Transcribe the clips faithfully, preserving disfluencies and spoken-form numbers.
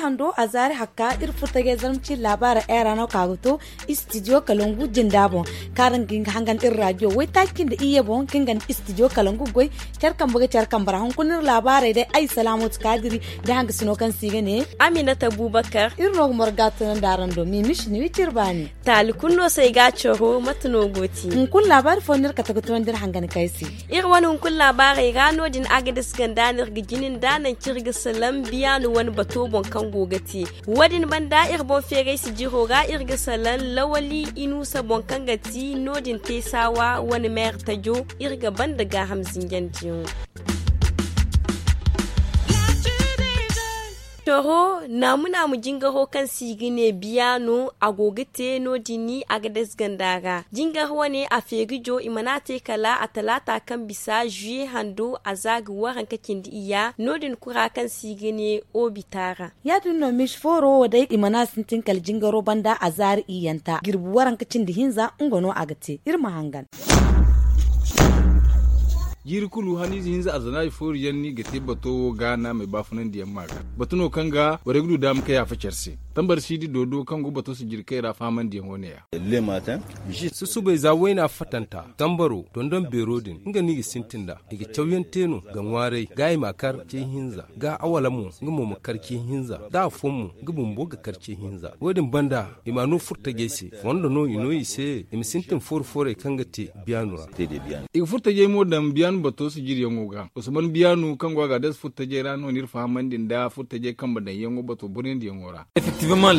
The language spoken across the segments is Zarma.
Hando a zaari hakka iri furtajey zarma ciiri laabaara era no ka ga to istidiyo kalangu jinda boŋ, kaŋ araŋ ga hin ga hangan iri raadiyo waytaaci cindi iyye boŋ kaŋ ga nda istidiyo kalangu goy. Care kambe ga care kambe ra hunkuna iri laabaarey day ay salaamatu kaadiri, da hangasino kaŋ se i ga ne aminata buubakar. Iri no ga marga tunandi araŋ do mimis ni wi ciri baani. Taali kulu no se ay ga a coro mate no go ti? Hunkuna laabaari fo no iri kate ga tunandi iri hangan kaŋ ay se. Iri wane hunkuna laabaarey ra no- din agades ganda no iri ga jini nda nangu kaŋ iri ga salaŋ biyaanu wane bato boŋ kaŋ go ga te. Wo- din banda iri boŋ feeray sijiro ra iri ga salaŋ lawali inuusa boŋ kaŋ ga ti no- din teesaawa wane meera tajo. Iri ga banda gaaham zinjandiyaŋo. Coro naamu naamu jingaro kaŋ se i ga ne biyaano a go ga te no- din agades ganda ra. Jingar wane a feeri jo i mana a te kala a talaata kaŋ bisa zuye hando a za ga waranka cindi iyya no- din kura kaŋ se i ga ne obita ra. Ya- din no miisi fooro wo day i mana a sintin kala jingaro banda a zaari iyyanta jirbi waranka cindi hinza nga no a ga te iri ma hangan. Jiiri kulu haniize hinza arzanaaji fooru yaŋ no i ga te bato wo ga naamey baafunandiyaŋ ma ga batu no kaŋ ga borey ga du daama ka yaafa care se. Tambar siidi doodo kaŋ go bato sijirkey ra fahamandiyaŋo ne- ya. Susubay za wayna fatanta tambaro dondon beero din nga no i ga sintin nd'a. I ga cawyaŋ te no ga ŋwaaray ga i ma a kar ce hinza ga awala mo nga mo ma kar ce hinza da afooyaŋ mo nga bumbo ga kar ce hinza. Wo- din banda i ma a no furtajey se fondo no i no i se i ma sintin fooru foorey kaŋ ga te biyaanu ra. I ga furtajey mo daŋ biyaanu bato sijiriyaŋo ga usman biyaanu kaŋ go a ga adasa furtajey ra no no iri fahamandi nda furtajey kambe daŋyaŋo bato buryandiyaŋo ra.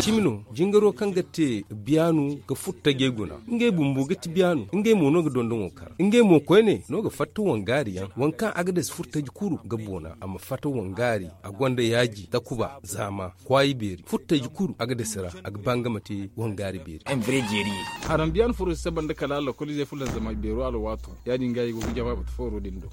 Cimi no jingaro kaŋ ga te biyaanu ga furtajey guna ngey bumbo ga ti biyaanu ngey mo no ga dondoŋo kar ngey mo koyne no ga fatta wangaari yaŋ waŋ kaŋ agades furtaji kuru ga boona a ma fatta wangaari a gonda yaaji takuba zaama kwaayi beeri furtaji kuru agades ra a ga ba nga ma te wangaari beeri. Haraŋ biyaanu furo si saba nda kala lokoliizey fulanzamay beero alwaato ya- din ga i go ga jama batu fooro din do.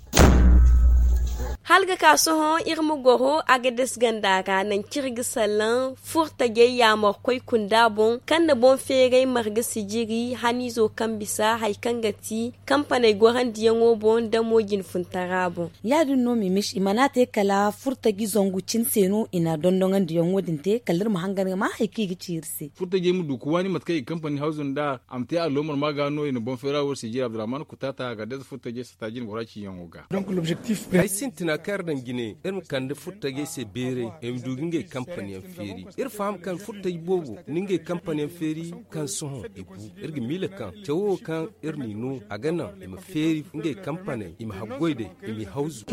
Hala ga ka sohõ iri ma goro agades ganda ra nangu kaŋ iri ga salaŋ furtajey yaamarkoy kunda boŋ kaŋ na boŋ feeray marga sijiri haniizo kaŋ bisa hari kaŋ ga ti kampaney gorandiyaŋo boŋ nda mo jinfuntara boŋ. Ya- din no mimis i mana a te kala furtaji zangu cine se no i na dondonandiyaŋo din te kala iri ma hangan ga ma hari kaŋ i ga ci iri se. Furtajey ma du ga waani mate kaŋ i ga kampani hawzu nd'a a ma te alloomar ma ga no i na boŋ feera wo sijiri abdurrahman kutaata a ga adasa furtajey sata jine bora ciiyaŋo ga. Ay sintina kaŋ iri daŋ jine iri ma kande furtajey se beeray i ma du ga ngey kampaniyaŋ feeri. Iri faham kaŋ furtaji boobo na ngey kampaniyaŋ feeri kaŋ sohõ i bu. Iri ga miila kaŋ cawo wo kaŋ iri n'i no a ga naŋ i ma feeri ngey kampaney i ma haggoy day i m'i hawzu.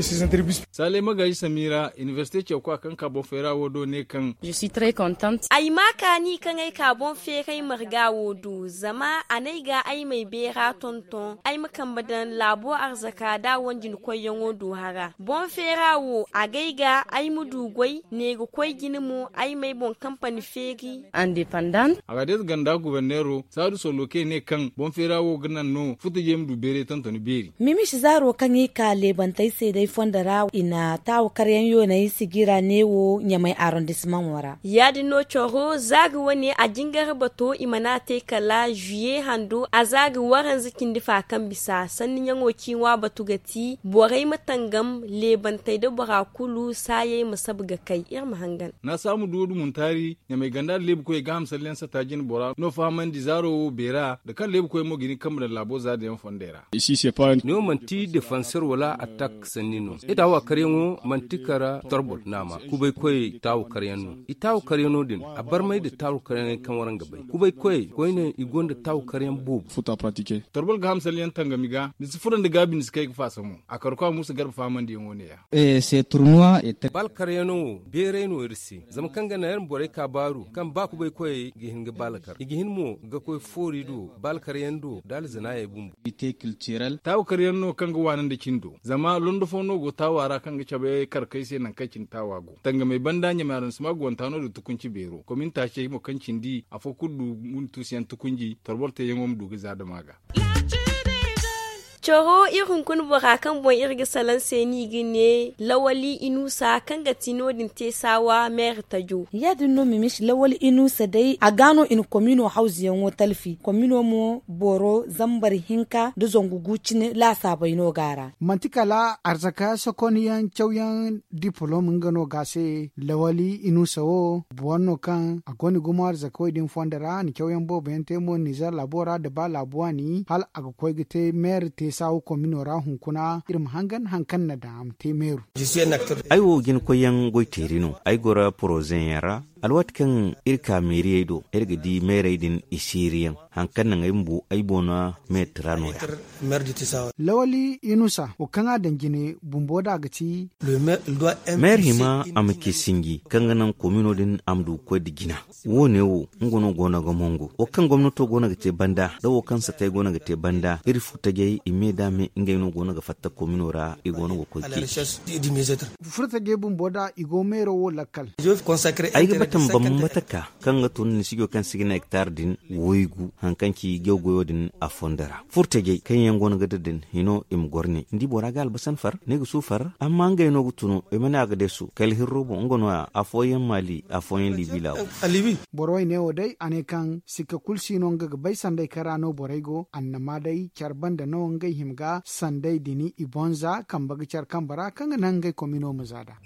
Saalay magaaji samiira inibersite cawkwa kaŋ ka boŋ feera wo do ne kaŋ ay ma a kaani kaŋ ay ka boŋ feeray marga wo do zama a n'ay ga ay m'ay beera tonton ay ma kambe daŋ laabo arzaka da a wanjin koyyaŋo do hara boŋ feera wo a gay ga ay ma du goy ne ga koy jine mo ay m'ay boŋ kampani feeri. Independent. Agades ganda guberneero saadu soloke ne kaŋ boŋ feera wo ga naŋ no futajey ma du beeray tontoni beeri. Mimis zaaro kaŋ i ka leebantey se day fondo ra i na taawa karyaŋ yooney sijira neewo ɲamay arrondissementwo ra. Ya- din no coro za ga wane a jingar bato i mana a te kala zuye hando a za ga waranza cindi fa kaŋ bisa sanni ɲaŋo ciiŋwa batu ga ti borey ma tangam leebantey nda bora kulu saayey ma sabu ga kay iri ma hangan. Naasaamu duwo dumuntaari ɲamay ganda nda leebukoyey gaaham salliyaŋ sata jine bora no fahamandi zaaro wo beera nda kaŋ leebukoyey mo ga hin ga kambe daŋ laabo za din yaŋ fondey ra. Ne wo manti defansor wala attak sanni no. I taawa karyaŋo manti kara torbol naama kubaykoyey taawa karyaŋ no. I taawa karyaŋo din a barmay nda taawa karyaŋey kaŋ waraŋ ga bay kubaykoyey koyne i gonda taawa karyaŋ boobo. Torbol ga hamsalyaŋ tangami ga ni si furo nda gaabi ni si kay ga faasa mo a karko a muusa garba fahamandiyaŋo ne-ya. Baalkaryaŋo wo beeray no iri se zama kaŋ ga naŋ iri ma borey ka baaru kaŋ ba kubaykoyey ga hin ga baalkar i ga hin mo ga koy foori do baalkaryaŋ do nda alzanaayey bumbo. Taawa karyaŋ no kaŋ ga waana nda cindo zama londo fo no go taawa ra kaŋ ga cabe karkey se nangu kaŋ cine taawa go tangamey banda ɲamay aransima go wanta no da tukunci beero komin taacey mo kaŋ cindi afo kulu du guntuusuyaŋ tukunji torbor teeyaŋo ma du ga za dama ga. Coro iri hunkuna bora kaŋ boŋ iri ga salaŋ se no i ga ne lawali inusa kaŋ ga ti no- din te saawa meeri tajo. Ya- din no mimis lawali inusa day a ga no i na komino hawzu yaŋo talfi komino mo boro zambar hinka nda zangu gu cine laasaabey no go a ra. Manti kala arzaka sokonyaŋ cawyaŋ dipolom nga no ga a se lawali inusa wo boro no kaŋ a gonda gumo arzakawey din fondo ra a na cawyaŋ boobo yaŋ te mo nizer laabo ra nda ba laabu waani hala a ga koy ga te meeri te saawa komino ra hunkuna iri ma hangan hari kaŋ na daŋ a ma te meeru. Ay wo jinakoyyaŋ goy teeri no ay goro poroze yaŋ ra. Alwaati kaŋ iri ka meeriyey do iri ga di meerey din i siiriyaŋ hari kaŋ naŋ ay bumbo ay boona meeri tira no- ya. Lawali inusa wo kaŋ a daŋ jine bumbo da a ga ti. Meeri hima a ma ci sinji kaŋ ga naŋ komino din a ma du ga koy nda jina. Wo- ne wo nga no go no ga mongo wo kaŋ gomnato go no ga te banda nda wo kaŋ satey go no ga te banda iri furtajey i me da me ngey no go no ga fatta komino ra i go no ga koy ceeci. Furtajey bumbo da i go meero wo lakkal. Ay ga bata ma bambata ka kaŋ ga tun ni sijo kaŋ si ga ne hektar din waygu hari kaŋ ci jaw goyo din a fondo ra furtajey kaŋ yaŋ go no ga da din hino i ma goro ne ni di bora ga albasan far ne ga su far amma ngey no ga tunu i ma ne a ga deesu kala hirro boŋ nga no- ya afooyaŋ maali afooyaŋ liibi laabu. Borey ne wo day a ne kaŋ sikka kulu si no nga ga bay sanday kaŋ ra no borey go annama day care banda no ngey hima ga sanday din i boŋ za kambe ga care kambe ra kaŋ ga naŋ ngey komino ma za nd'a.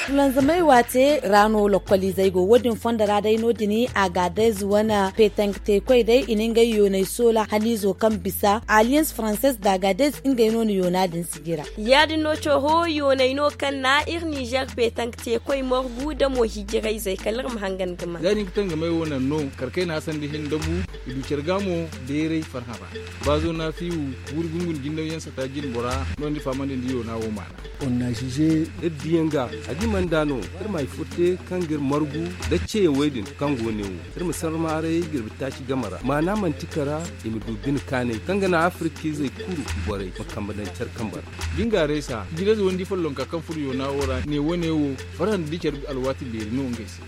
Fulanzamey waate ra no lokkoliizey go wo- din fondo ra day no- din a ga a day zuwana petank teekoy day i na ngey yooney soola haniizo kaŋ bisa alliance française da a ga a day ngey no na yoona din sijira. Ya- din no coro yooney no kaŋ na iri nizer petank teekoy margu nda mo hijirayzey kala iri ma hangan ga maa. Za i na hin ga tangamey wo naŋ no kar kayna hasandi hin dabu i du care ga mo beeray farhã ra. Baazo na fiiwu guuri gungun jindawyaŋ sata jinbora no ni fahamandi nda yoona wo maana. Iri diyaŋ ga a ga i mana da no iri ma hari furte kaŋ ga iri margu nda ceeyaŋ wey din kaŋ go ne wo iri ma sarmaaray girbi taaci game ra maana manti kara i ma du bine kaanay kaŋ ga naŋ afirkiizey kulu borey ma kambe daŋ care kambe ra. Jingaarey sa jirayze wandi follonka kaŋ furo yoona wo ra ne wo-ne wo farhã nda di care alwaati beeri no ngey se.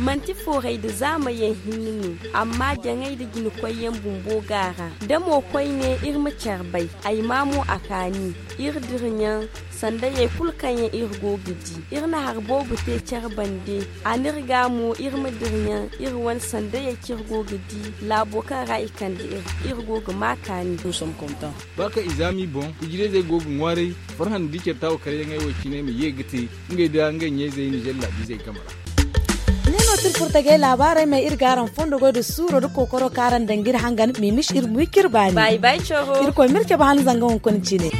Manti foorey nda zaamayaŋ hinne no amma jaŋay nda jinakoyyaŋ bumbo go a ra da mo koyne iri ma care bay ay maa mo a kaani iri diraɲaŋ sandayey kulu kaŋ yaŋ iri go ga di iri na hari boobo te care bande a n'iri ga mo iri ma diraɲaŋ iri wane sandayey kaŋ iri go ga di laabo kaŋ ra i kande iri iri go ga maa kaani. Ba kaŋ i zaami boŋ hijirayzey go ga ŋwaaray farhã nda di care taawo karyaŋey wo cine ma ye ga te ngey da ngey ɲayzey nizer laabiizey game ra. Ne no ti iri furtajey laabaarey ma iri ga araŋ fondo goy nda suuro nda kookaro kaŋ araŋ daŋ ga iri hangan ma i misi iri ma wi kaŋ iri baani. Irkoy ma iri cabe han zanga hunkuna cine.